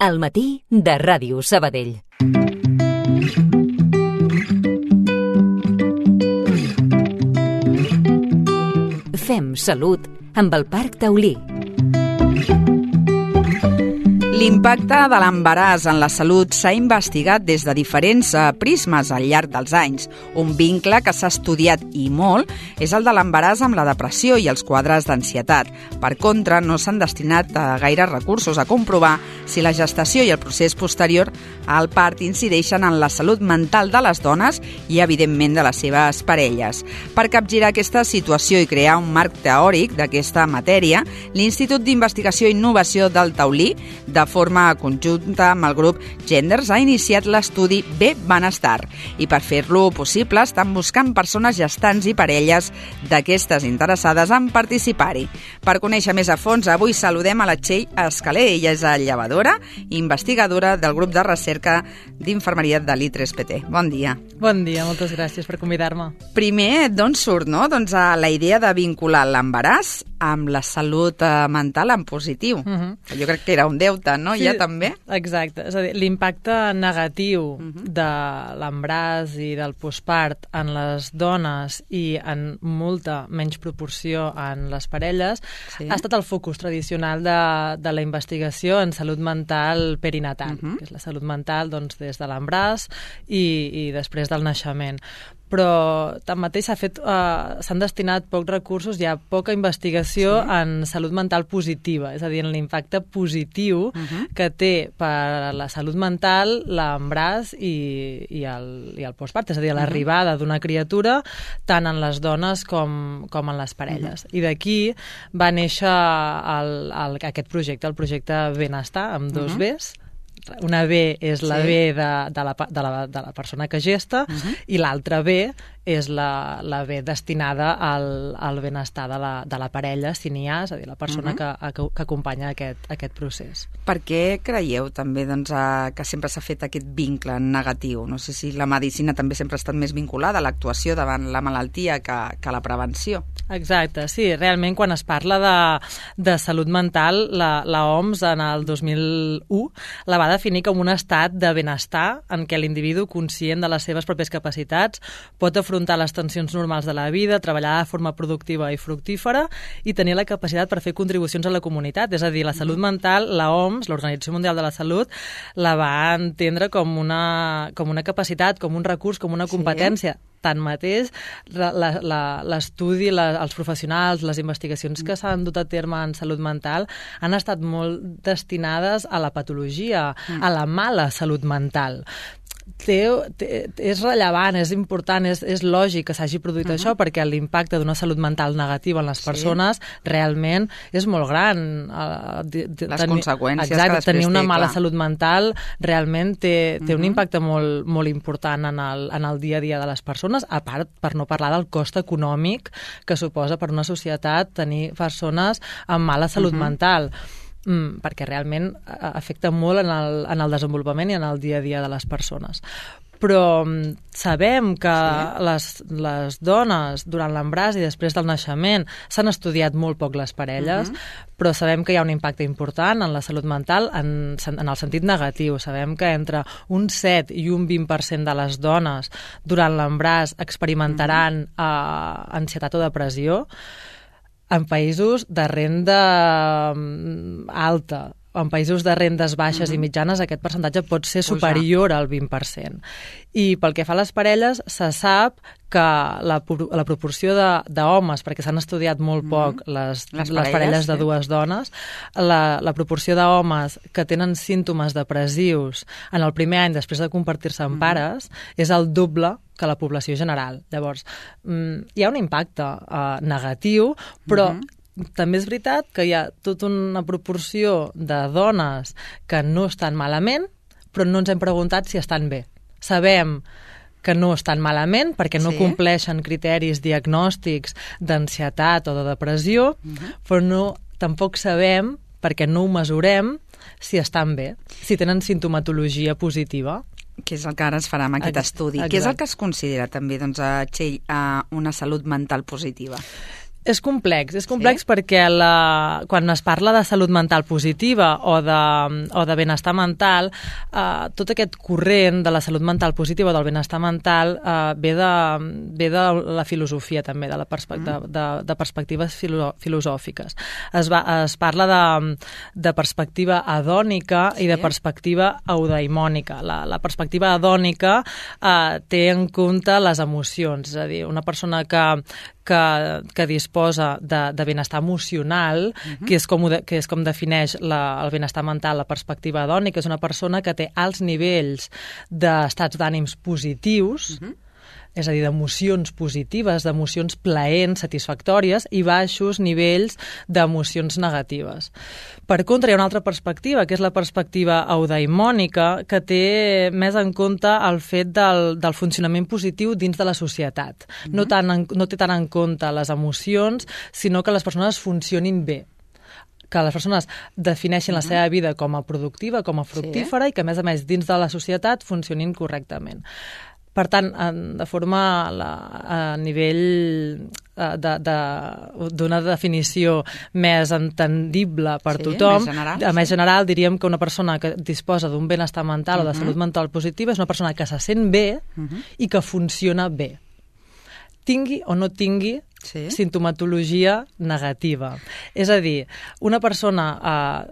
Al matí de Ràdio Sabadell. Fem salut amb el Parc Taulí. L'impacte de l'embaràs en la salut s'ha investigat des de diferents prismes al llarg dels anys. Un vincle que s'ha estudiat i molt és el de l'embaràs amb la depressió i els quadres d'ansietat. Per contra, no s'han destinat gaires recursos a comprovar si la gestació i el procés posterior al part incideixen en la salut mental de les dones i, evidentment, de les seves parelles. Per capgirar aquesta situació i crear un marc teòric d'aquesta matèria, l'Institut d'Investigació i Innovació del Taulí, de forma conjunta amb el grup Genders, ha iniciat l'estudi Bé Benestar i per fer-lo possible estan buscant persones gestants i parelles d'aquestes interessades en participar-hi. Per conèixer més a fons, avui saludem a la Txell Escaler. Ella és llevadora i investigadora del grup de recerca d'infermeria de l'I3PT. Bon dia. Bon dia, moltes gràcies per convidar-me. Primer, d'on surt, no? Doncs la idea de vincular l'embaràs amb la salut mental en positiu. Jo crec que era un deute, no? Sí, ja també? Exacte. És a dir, l'impacte negatiu de l'embaràs i del postpart en les dones i en molta menys proporció en les parelles ha estat el focus tradicional de la investigació en salut mental perinatal, que és la salut mental doncs, des de l'embaràs i després del naixement. Però tanmateix s'han destinat pocs recursos, hi ha poca investigació en salut mental positiva, és a dir, en l'impacte positiu que té per a la salut mental l'embaràs i el postpart, és a dir, l'arribada d'una criatura tant en les dones com en les parelles. I d'aquí va néixer aquest projecte, el projecte Benestar, amb dos Bs. Una B és la B de la persona que gesta i l'altra B és la B destinada al benestar de la parella, si n'hi ha, és a dir, la persona que acompanya aquest procés. Per què creieu també doncs, que sempre s'ha fet aquest vincle negatiu? No sé si la medicina també sempre ha estat més vinculada a l'actuació davant la malaltia que la prevenció. Exacte, sí, realment quan es parla de salut mental, la OMS en el 2001 la va definir com un estat de benestar en què l'individu, conscient de les seves pròpies capacitats, pot afrontar les tensions normals de la vida, treballar de forma productiva i fructífera i tenir la capacitat per fer contribucions a la comunitat. És a dir, la salut mental, la OMS, l'Organització Mundial de la Salut, la va entendre com una capacitat, com un recurs, com una competència. Tanmateix, l'estudi, els professionals, les investigacions que s'han dut a terme en salut mental han estat molt destinades a la patologia, a la mala salut mental. És rellevant, és important, és lògic que s'hagi produït això perquè l'impacte d'una salut mental negativa en les persones realment és molt gran. Les conseqüències que després tenir una mala clar. salut mental realment té un impacte molt, molt important en el dia a dia de les persones, a part, per no parlar del cost econòmic que suposa per una societat tenir persones amb mala salut mental. Perquè realment afecta molt en el desenvolupament i en el dia a dia de les persones. Però sabem que les dones durant l'embaràs i després del naixement s'han estudiat molt poc les parelles, però sabem que hi ha un impacte important en la salut mental en el sentit negatiu. Sabem que entre un 7 i un 20% de les dones durant l'embaràs experimentaran ansietat o depressió en països de renda alta. En països de rendes baixes i mitjanes aquest percentatge pot ser superior al 20%. I pel que fa a les parelles, se sap que la proporció d'homes, perquè s'han estudiat molt poc les parelles de dues dones, la proporció d'homes que tenen símptomes depressius en el primer any després de convertir-se en pares és el doble que la població general. Llavors, hi ha un impacte negatiu, però també és veritat que hi ha tota una proporció de dones que no estan malament, però no ens hem preguntat si estan bé. Sabem que no estan malament perquè no compleixen criteris diagnòstics d'ansietat o de depressió, però tampoc sabem, perquè no ho mesurem, si estan bé, si tenen sintomatologia positiva. Que és el que ara es farà amb aquest estudi. Què és el que es considera també, doncs, Txell, una salut mental positiva? És complex perquè quan es parla de salut mental positiva o de benestar mental, tot aquest corrent de la salut mental positiva o del benestar mental ve de la filosofia també, de perspectives filosòfiques. Es parla de perspectiva hedònica i de perspectiva eudaimònica. La perspectiva hedònica té en compte les emocions, és a dir, una persona que disposa de benestar emocional, que és com defineix el benestar mental, la perspectiva hedònica, és una persona que té alts nivells d'estats d'ànims positius, és a dir, d'emocions positives, d'emocions plaents, satisfactòries, i baixos nivells d'emocions negatives. Per contra, hi ha una altra perspectiva, que és la perspectiva eudaimònica, que té més en compte el fet del funcionament positiu dins de la societat. No té tant en compte les emocions, sinó que les persones funcionin bé, que les persones defineixin la seva vida com a productiva, com a fructífera, i que, a més, dins de la societat funcionin correctament. Per tant, a nivell d'una definició més entendible per tothom, més general, diríem que una persona que disposa d'un benestar mental o de salut mental positiva és una persona que se sent bé i que funciona bé, tingui o no tingui sintomatologia negativa. És a dir, una persona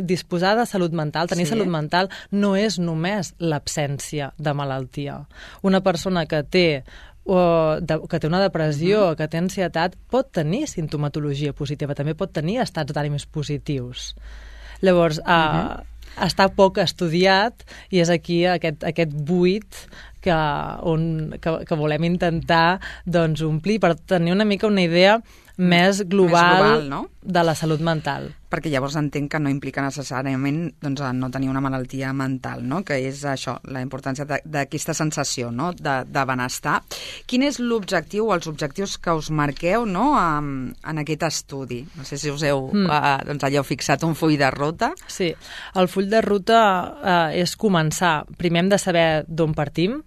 disposar de salut mental, tenir salut mental no és només l'absència de malaltia. Una persona que té una depressió, que té ansietat, pot tenir sintomatologia positiva, també pot tenir estats d'ànims positius. Llavors, està poc estudiat i és aquí aquest buit que volem intentar omplir per tenir una mica una idea més global, de la salut mental. Perquè llavors entenc que no implica necessàriament no tenir una malaltia mental, no? Que és això, la importància d'aquesta sensació, no? de benestar. Quin és l'objectiu o els objectius que us marqueu, no? en aquest estudi? No sé si us heu fixat un full de ruta. Sí, el full de ruta és començar. Primer hem de saber d'on partim.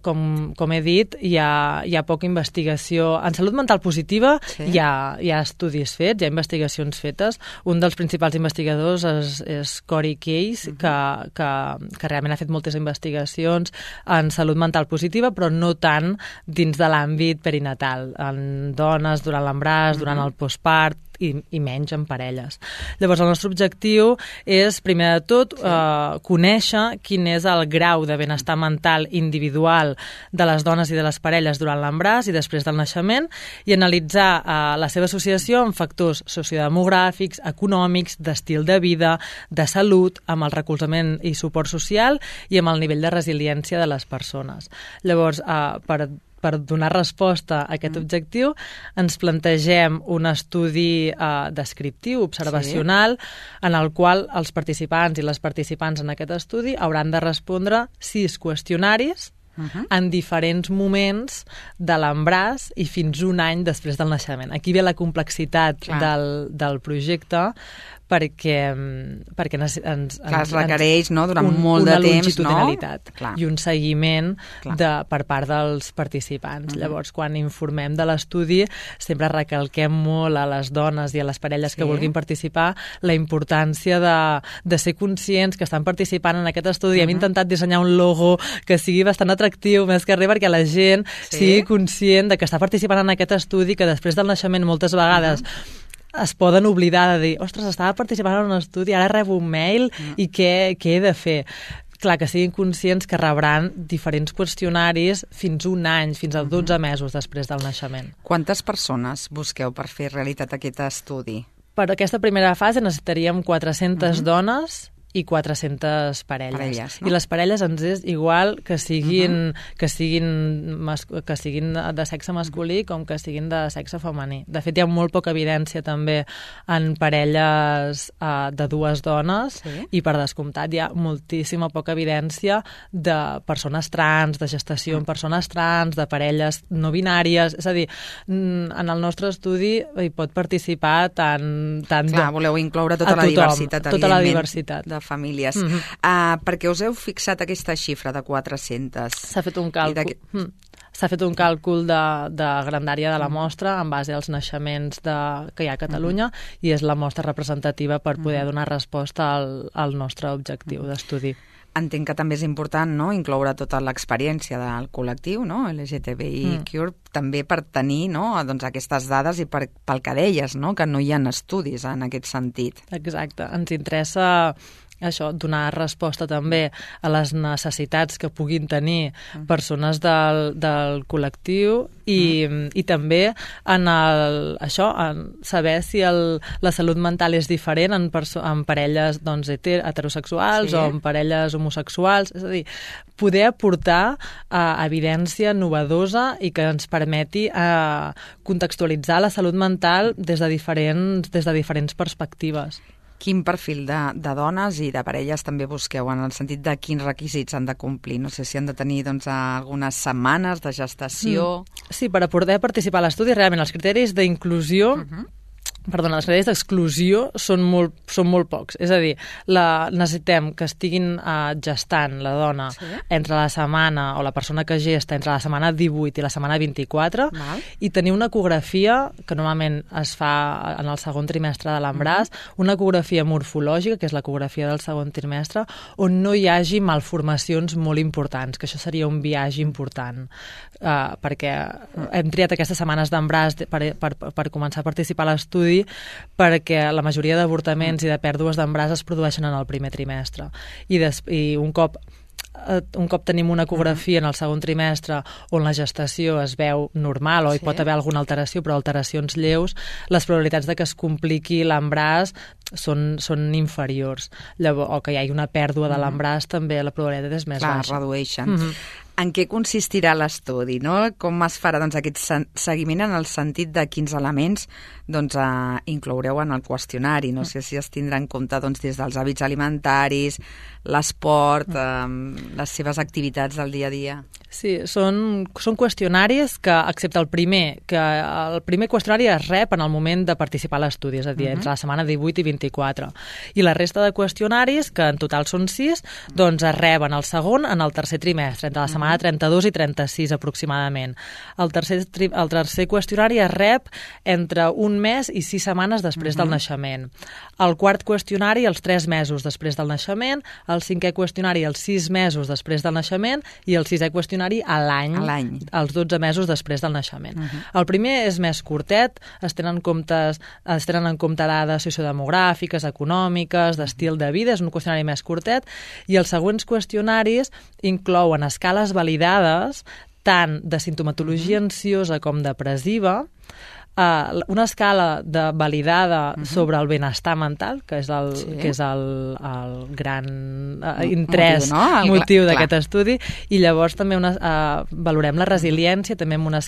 Com he dit, hi ha poca investigació. En salut mental positiva hi ha estudis fets, hi ha investigacions fetes. Un dels principals investigadors és Corey Case, que realment ha fet moltes investigacions en salut mental positiva, però no tant dins de l'àmbit perinatal, en dones, durant l'embaràs, durant el postpart, i menys en parelles. Llavors, el nostre objectiu és, primer de tot, conèixer quin és el grau de benestar mental individual de les dones i de les parelles durant l'embaràs i després del naixement, i analitzar la seva associació amb factors sociodemogràfics, econòmics, d'estil de vida, de salut, amb el recolzament i suport social i amb el nivell de resiliència de les persones. Llavors, per donar resposta a aquest objectiu, ens plantegem un estudi descriptiu, observacional, en el qual els participants i les participants en aquest estudi hauran de respondre 6 qüestionaris en diferents moments de l'embaràs i fins un any després del naixement. Aquí ve la complexitat del projecte, perquè es requereix durant molt de temps, una longitudinalitat i un seguiment per part dels participants. Llavors, quan informem de l'estudi, sempre recalquem molt a les dones i a les parelles que vulguin participar la importància de ser conscients que estan participant en aquest estudi. Hem intentat dissenyar un logo que sigui bastant atractiu, més que res perquè la gent sigui conscient de que està participant en aquest estudi, que després del naixement moltes vegades es poden oblidar de dir, ostres, estava participant en un estudi, ara rebo un mail i què he de fer? Clar, que siguin conscients que rebran diferents qüestionaris fins un any, fins a 12 mesos després del naixement. Quantes persones busqueu per fer realitat aquest estudi? Per aquesta primera fase necessitaríem 400 dones i 400 parelles. I les parelles ens és igual que siguin de sexe masculí com que siguin de sexe femení. De fet, hi ha molt poca evidència també en parelles de 2 dones i, per descomptat, hi ha moltíssima poca evidència de persones trans, de gestació en persones trans, de parelles no binàries. És a dir, en el nostre estudi hi pot participar tant voleu incloure tota la diversitat, tota la diversitat de famílies. Perquè us heu fixat aquesta xifra de 400? S'ha fet un càlcul. s'ha fet un càlcul de grandària de la mostra en base als naixements que hi ha a Catalunya i és la mostra representativa per poder donar resposta al nostre objectiu d'estudi. Entenc que també és important, no?, incloure tota l'experiència del col·lectiu, no?, LGTBIQ, també per tenir, no?, doncs aquestes dades i pel que deies, no?, que no hi ha estudis en aquest sentit. Exacte. Ens interessa això, donar resposta també a les necessitats que puguin tenir persones del col·lectiu i també en saber si la salut mental és diferent en parelles doncs, heterosexuals o en parelles homosexuals. És a dir, poder aportar evidència novedosa i que ens permeti contextualitzar la salut mental des de diferents perspectives. Quin perfil de dones i de parelles també busqueu, en el sentit de quins requisits han de complir? No sé si han de tenir doncs, algunes setmanes de gestació... Sí, per a poder participar a l'estudi, realment els criteris d'inclusió... Perdona, els criteris d'exclusió són molt pocs. És a dir, necessitem que estiguin gestant la dona entre la setmana, o la persona que gesta entre la setmana 18 i la setmana 24, i tenir una ecografia, que normalment es fa en el segon trimestre de l'embaràs, una ecografia morfològica, que és l'ecografia del segon trimestre, on no hi hagi malformacions molt importants, que això seria un biaix important, perquè hem triat aquestes setmanes d'embaràs per començar a participar a l'estudi perquè la majoria d'avortaments i de pèrdues d'embaràs es produeixen en el primer trimestre. I un cop tenim una ecografia en el segon trimestre on la gestació es veu normal o hi pot haver alguna alteració, però alteracions lleus, les probabilitats de que es compliqui l'embaràs són inferiors. Llavors, o que hi hagi una pèrdua de l'embaràs, també la probabilitat és més baixa. Clar, redueixen. En què consistirà l'estudi, no? Com es farà aquest seguiment en el sentit de quins elements incloureu en el qüestionari? No sé si es tindrà en compte des dels hàbits alimentaris, l'esport, les seves activitats del dia a dia. Sí, són qüestionaris que, excepte el primer qüestionari es rep en el moment de participar a l'estudi, és a dir, entre la setmana 18 i 24. I la resta de qüestionaris, que en total són 6, doncs es reben el segon en el tercer trimestre, entre la setmana 32 i 36 aproximadament. El tercer qüestionari es rep entre un mes i 6 setmanes després del naixement. El quart qüestionari els 3 mesos després del naixement, el cinquè qüestionari els 6 mesos després del naixement i el sisè qüestionari a l'any, els 12 mesos després del naixement. El primer és més curtet, es tenen en compte dades sociodemogràfiques, econòmiques, d'estil de vida, és un qüestionari més curtet, i els següents qüestionaris inclouen escales validades tant de simptomatologia ansiosa com depressiva, una escala validada sobre el benestar mental, que és el gran interès, motiu d'aquest estudi, i llavors també valorem la resiliència també amb una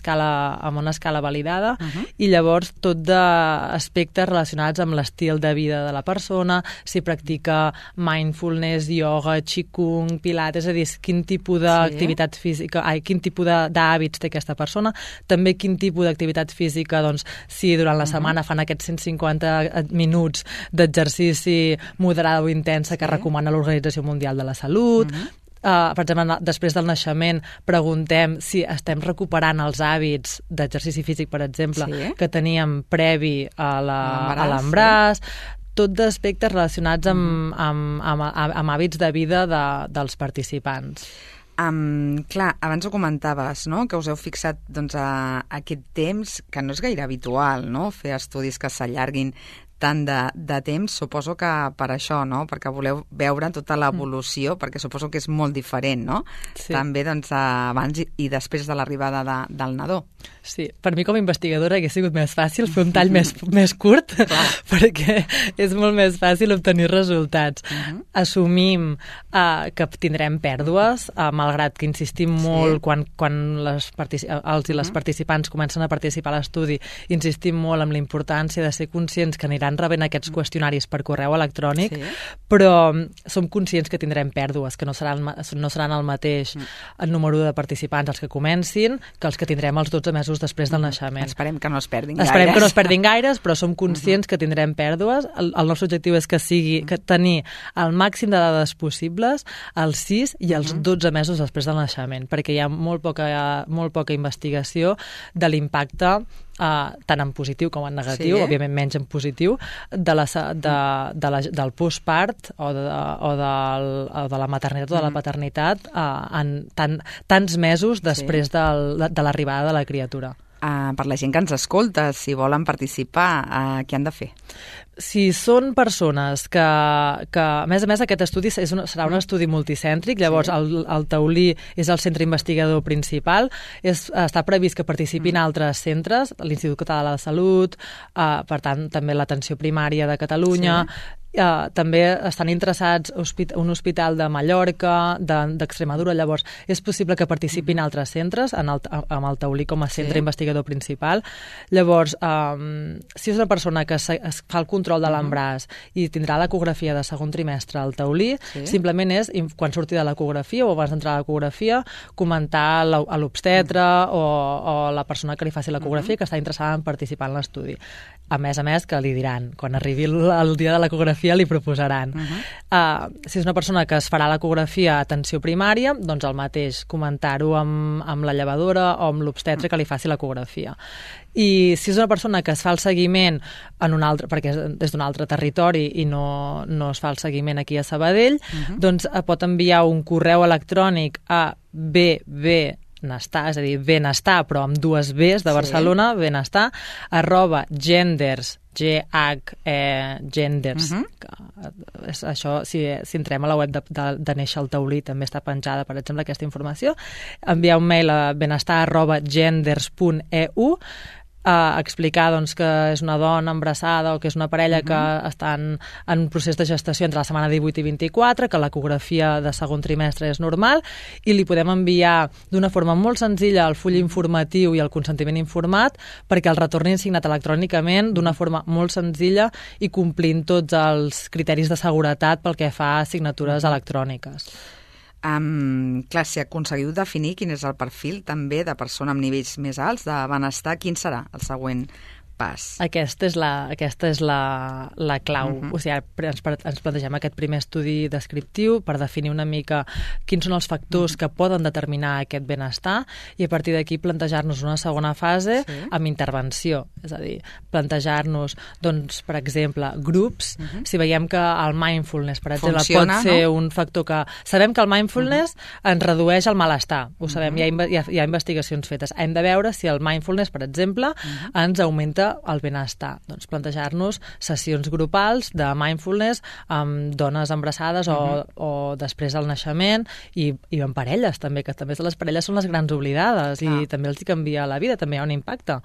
escala validada, i llavors tot d'aspectes relacionats amb l'estil de vida de la persona, si practica mindfulness, yoga, qigong, pilates, és a dir, quin tipus d'activitat física, quin tipus d'hàbits té aquesta persona, també quin tipus d'activitat física, doncs, si durant la setmana fan aquests 150 minuts d'exercici moderada o intensa que recomana l'Organització Mundial de la Salut. Per exemple, després del naixement preguntem si estem recuperant els hàbits d'exercici físic, per exemple, que teníem previ a l'embaràs. Tot d'aspectes relacionats amb hàbits de vida dels participants. Clar, abans ho comentaves, no?, que us heu fixat a aquest temps, que no és gaire habitual, no?, fer estudis que s'allarguin tant de temps, suposo que per això, no?, perquè voleu veure tota l'evolució, perquè suposo que és molt diferent, no?, també abans i després de l'arribada del nadó. Sí, per mi com a investigadora hauria sigut més fàcil fer un tall més curt, perquè és molt més fàcil obtenir resultats. Assumim que tindrem pèrdues, malgrat que insistim molt quan els i les participants comencen a participar a l'estudi, insistim molt en la importància de ser conscients que aniran seguiran rebent aquests qüestionaris per correu electrònic, però som conscients que tindrem pèrdues, que no seran el mateix el número de participants els que comencin que els que tindrem els 12 mesos després del naixement. Esperem que no es perdin gaires. Esperem que no es perdin gaires, però som conscients que tindrem pèrdues. El nostre objectiu és que tenir el màxim de dades possibles als 6 i als 12 mesos després del naixement, perquè hi ha molt poca investigació de l'impacte tant en positiu com en negatiu, òbviament menys en positiu, del postpart o de la maternitat o de la paternitat en tants mesos després de l'arribada de la criatura. Per la gent que ens escolta, si volen participar, què han de fer? Si són persones que a més aquest estudi serà un estudi multicèntric, llavors el Taulí és el centre investigador principal, està previst que participin altres centres, l'Institut Català de la Salut, per tant també l'Atenció Primària de Catalunya, també estan interessats un hospital de Mallorca, d'Extremadura, llavors és possible que participin altres centres amb el Taulí com a centre investigador principal. Llavors, si és una persona que es fa el control de l'embaràs i tindrà l'ecografia de segon trimestre al Taulí, simplement és, quan surti de l'ecografia o abans d'entrar a l'ecografia, comentar a l'obstetre o la persona que li faci l'ecografia que està interessada en participar en l'estudi. A més, que li diran, quan arribi el dia de l'ecografia li proposaran. Si és una persona que es farà l'ecografia a atenció primària, doncs el mateix, comentar-ho amb la llevadora o amb l'obstetre que li faci l'ecografia. I si és una persona que es fa el seguiment en un altre, perquè és d'un altre territori i no es fa el seguiment aquí a Sabadell, doncs pot enviar un correu electrònic a benestar, és a dir, benestar, però amb dues Bs de Barcelona, benestar, @genders, genders. Això, si entrem a la web de Néixer al Taulí, també està penjada, per exemple, aquesta informació. Enviar un mail a benestar@genders.eu, explicar que és una dona embarassada o que és una parella que estan en procés de gestació entre la setmana 18 i 24, que l'ecografia de segon trimestre és normal, i li podem enviar d'una forma molt senzilla el full informatiu i el consentiment informat perquè el retornin signat electrònicament d'una forma molt senzilla i complint tots els criteris de seguretat pel que fa a signatures electròniques. Clar, si aconseguiu definir quin és el perfil també de persona amb nivells més alts de benestar, quin serà el següent pas? Aquesta és la clau. O sigui, ens plantegem aquest primer estudi descriptiu per definir una mica quins són els factors que poden determinar aquest benestar i a partir d'aquí plantejar-nos una segona fase amb intervenció. És a dir, plantejar-nos, doncs, per exemple, grups. Si veiem que el mindfulness, per exemple, pot ser un factor que... Sabem que el mindfulness ens redueix el malestar. Ho sabem, hi ha investigacions fetes. Hem de veure si el mindfulness, per exemple, ens augmenta el benestar. Doncs plantejar-nos sessions grupals de mindfulness amb dones embarassades o després del naixement i en parelles també, que també les parelles són les grans oblidades i també els canvia la vida, també hi ha un impacte.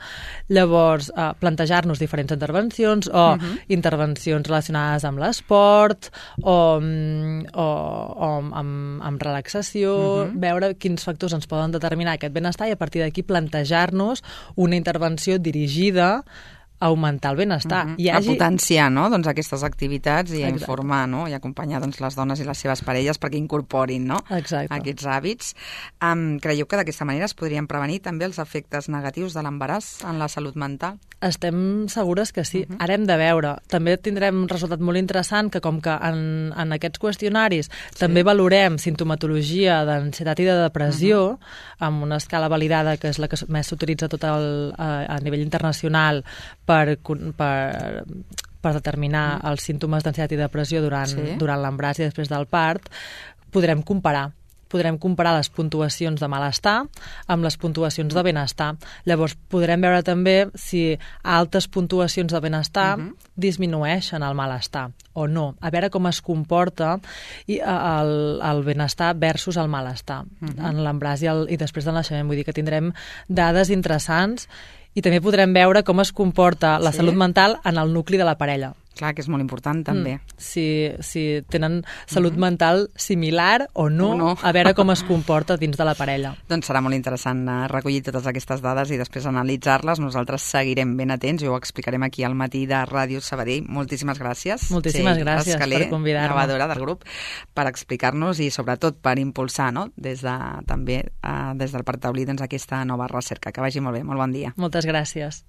Llavors, plantejar-nos diferents intervencions o intervencions relacionades amb l'esport o amb relaxació, veure quins factors ens poden determinar aquest benestar i a partir d'aquí plantejar-nos una intervenció dirigida a augmentar el benestar. A potenciar aquestes activitats i a informar i acompanyar les dones i les seves parelles perquè incorporin aquests hàbits. Creieu que d'aquesta manera es podrien prevenir també els efectes negatius de l'embaràs en la salut mental? Estem segures que sí. Ara hem de veure. També tindrem un resultat molt interessant que com que en aquests qüestionaris també valorem simptomatologia d'ansietat i de depressió amb una escala validada que és la que més s'utilitza a nivell internacional per determinar els símptomes d'ansietat i depressió durant l'embaràs i després del part, podrem comparar les puntuacions de malestar amb les puntuacions de benestar. Llavors, podrem veure també si altes puntuacions de benestar disminueixen el malestar o no. A veure com es comporta el benestar versus el malestar en l'embaràs i després del naixement. Vull dir que tindrem dades interessants i també podrem veure com es comporta la salut mental en el nucli de la parella. Clar, que és molt important, també. Si tenen salut mental similar o no, a veure com es comporta dins de la parella. Doncs serà molt interessant recollir totes aquestes dades i després analitzar-les. Nosaltres seguirem ben atents i ho explicarem aquí al matí de Ràdio Sabadell. Moltíssimes gràcies. Moltíssimes gràcies per convidar-me. Gravadora del grup, per explicar-nos i sobretot per impulsar, no? també des del Parc Taulí, aquesta nova recerca. Que vagi molt bé. Molt bon dia. Moltes gràcies.